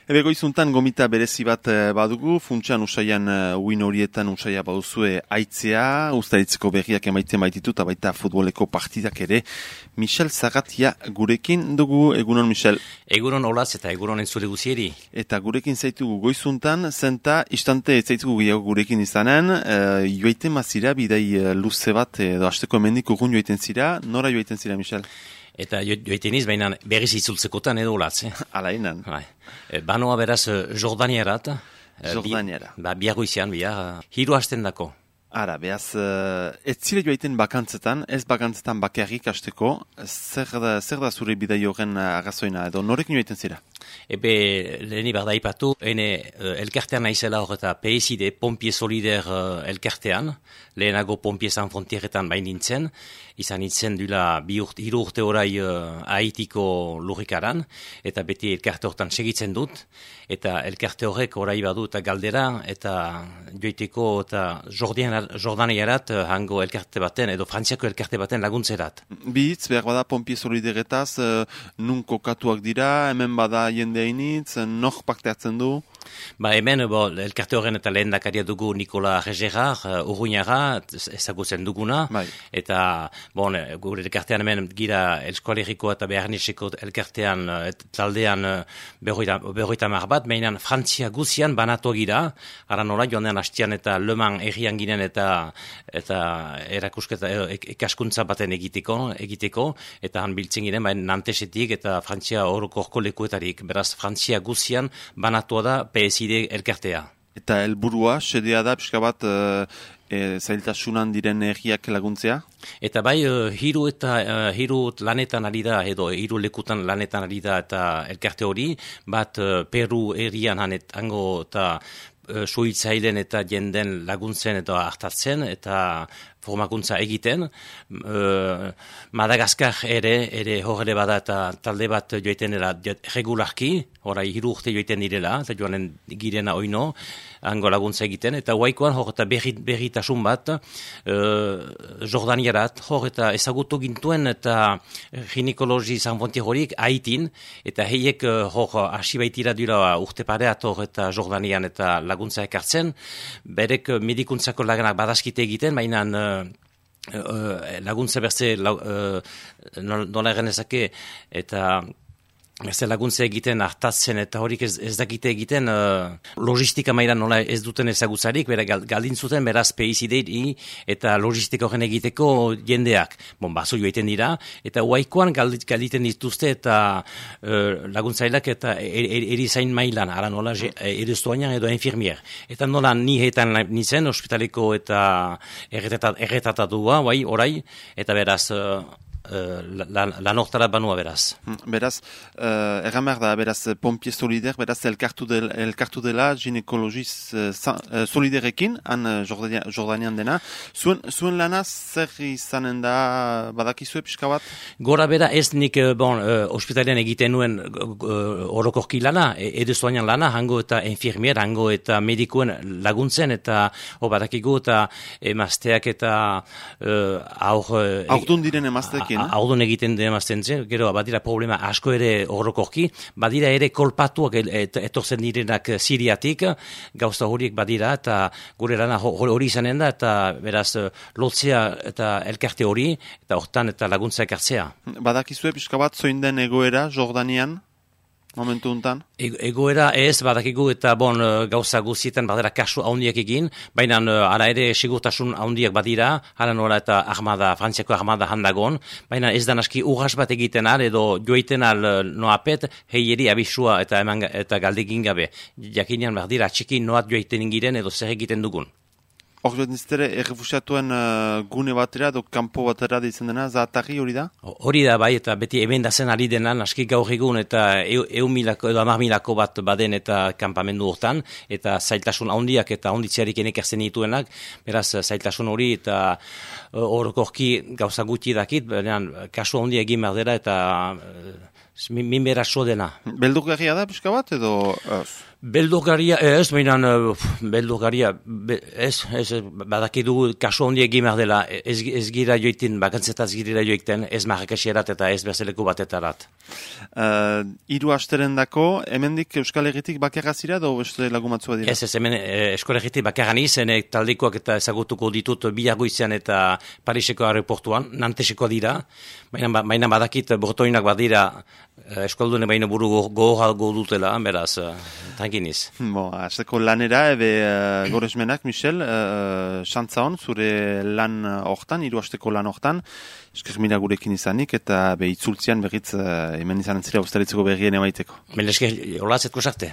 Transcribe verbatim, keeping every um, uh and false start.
Ebe goizuntan gomita berezi bat badugu, funtsan usaian uin horietan usaia baduzue aitzea, ustaritzeko berriak emaiten baititu, eta baita futboleko partidak ere. Michel Zagatia gurekin dugu, egunon Michel. Egunon olaz eta egunon entzule guzieri. Eta gurekin zaitugu goizuntan, zenta istante zaitugu gehiago gurekin izanen, e, joaiten mazira, bidai luze bat, edo hasteko emendik urgun joaiten zira, nora joaiten zira Michel? Eta joiten iz, baina berriz itzultzekotan edo olatz. Eh? Ala inan. E, banoa beraz Jordaniarat. Jordaniara. Bi, ba, biago izan, bia, hiru hasten dako. Ara, behaz, uh, ez zile joaiten bakantzetan, ez bakantzetan bakarrik hasteko, zer da, zer da zure bidai horren arrazoina, edo norekin joaiten zira? Ebe, leheni behar daipatu, ene uh, elkartean naizela hor eta P S I D, Pompie Solider uh, elkartean, lehenago Pompie San Frontieretan bain nintzen, izan nintzen dula bi urte, hiru urte orai uh, Haitiko lurrikaran, eta beti elkarte hortan segitzen dut, eta elkarte horrek orai badu eta galdera, eta joiteko eta Jordian Jordaniarat hango elkarte baten, edo Frantziako elkarte baten laguntzerat. Bi hitz, behar bada Pompie Solideretaz, uh, nun kokatuak dira, hemen bada jende hainitz, nor parte hartzen du? Ba hemen, bo, elkarte horren eta lehen dakaria dugu Nikola Regerar, uh, Urruñara, ezagutzen duguna, bai. Eta, bon, gure elkartean hemen gira Eskoaleriko eta Beharniseko elkartean, et, taldean berroita mar bat, mainan Frantzia guzian banatu gira, ara nola joan den hastian eta Le Mans errian ginen eta eta erakusketa ikaskuntza baten egiteko, egiteko eta han biltzen giren, baina Nantesetik eta Frantzia orokorko lekuetarik, beraz Frantzia guzian banatua da P S I D elkartea. Eta helburua, sedea da, pixka bat, e, e, zailtasunan diren erriak laguntzea? Eta bai, uh, hiru eta uh, hiru lanetan ari da, edo hiru lekutan lanetan ari da, eta elkarte hori, bat uh, Peru herrian hanet, hango eta uh, suhitzailen eta jenden laguntzen eta hartatzen, eta formakuntza egiten. Uh, Madagaskar ere, ere horre bada eta talde bat joiten dela regularki, horai hiru urte joiten direla, eta joanen girena oino, hango laguntza egiten, eta huaikoan hor eta berritasun bat, uh, Jordaniarat, hor eta ezagutu gintuen eta ginekologi zanfonti horik haitin, eta heiek uh, hor hasi baitira dira urte pareat hor eta Jordanian eta laguntza ekartzen, berek medikuntzako laganak badaskite egiten, baina uh, uh, laguntza berze uh, nola egenezake, eta Berze laguntza egiten hartatzen eta horik ez, ez dakite egiten uh, logistika mailan nola ez duten ezagutzarik, bera galdin zuten beraz P S I D eta logistika horren egiteko jendeak. Bon, baso joiten dira, eta huaikoan galditen dituzte eta uh, laguntzailak eta erizain mailan, ara nola eriztuanean edo infirmier. Eta nola ni hetan nintzen, ospitaleko eta erretatatua, bai, orai, eta beraz Uh, lan la, la banua beraz. Beraz, uh, erran behar da, beraz, Pompie Solider, beraz, elkartu, del, elkartu dela ginekologiz uh, uh, soliderekin, han uh, Jordania, Jordanian dena. Zuen, zuen lana zer izanen da badakizue pixka bat? Gora bera ez nik, bon, uh, ospitalian egiten nuen uh, orokorki lana, edezuanean lana, hango eta infirmier, hango eta medikuen laguntzen, eta ho badakigu eta emazteak eta uh, aur... Uh, Aurdun diren emazteekin. Audon egiten demazten zen, gero badira problema asko ere orokorki, badira ere kolpatuak et, etortzen direnak Siriatik, gauza horiek badira, eta gure lana hori izanen da, eta beraz lotzea eta elkarte hori, eta hortan eta laguntza ekartzea. Badakizue pixka bat zoin den egoera Jordanian? Momentu untan? E, egoera ez, badakigu eta bon, gauza guzietan badera kasu haundiak egin, baina ara ere sigurtasun haundiak badira, hala nola eta armada, Frantziako armada handagon, baina ez da naski urras bat egiten al, edo joiten al noapet, heieri abisua eta, eman, eta galdegin gabe. Jakinean badira atxiki noat joiten ingiren edo zer egiten dugun. Hor joan diztere, errefusiatuen uh, gune batera, do kanpo batera ditzen dena, zahatari hori da? Hori da, bai, eta beti hemen da zen ari denan, aski gaur egun, eta eun milako edo amar milako bat baden eta kanpamendu hortan, eta zailtasun handiak eta handitzearik enekerzen dituenak, beraz, zailtasun hori, eta orokorki uh, gauza gutxi dakit, berean, kasu handi egin behar dela, eta uh, Minbera so dena. Beldurgarria da, pixka bat, edo... Beldurgaria, ez, mainan, beldurgaria, ez, ez, badakidu kaso hondi egin behar dela, ez, ez gira joitin, bakantzetaz gira joikten, ez marrakasierat eta ez bezaleko batetarat. Uh, Iru asteren dako, hemendik Euskal Herritik bakarra zira, edo beste lagumatzua dira? Ez, ez, hemen Euskal Herritik bakarra nizen, taldekoak eta ezagutuko ditut Bilargoizean eta Pariseko aeroportuan, Nanteseko dira, mainan badakit Bretoinak badira, eskoldune baino buru gogorago dutela, beraz, tankiniz. Bo, azteko lanera, ebe uh, goresmenak, Michel, uh, xantza hon, zure lan hortan, hiru asteko lan hortan, eskermira gurekin izanik, eta be itzultzian berriz uh, hemen izan zira ustaritzeko berrien emaiteko. Melesker, hola zetko sarte.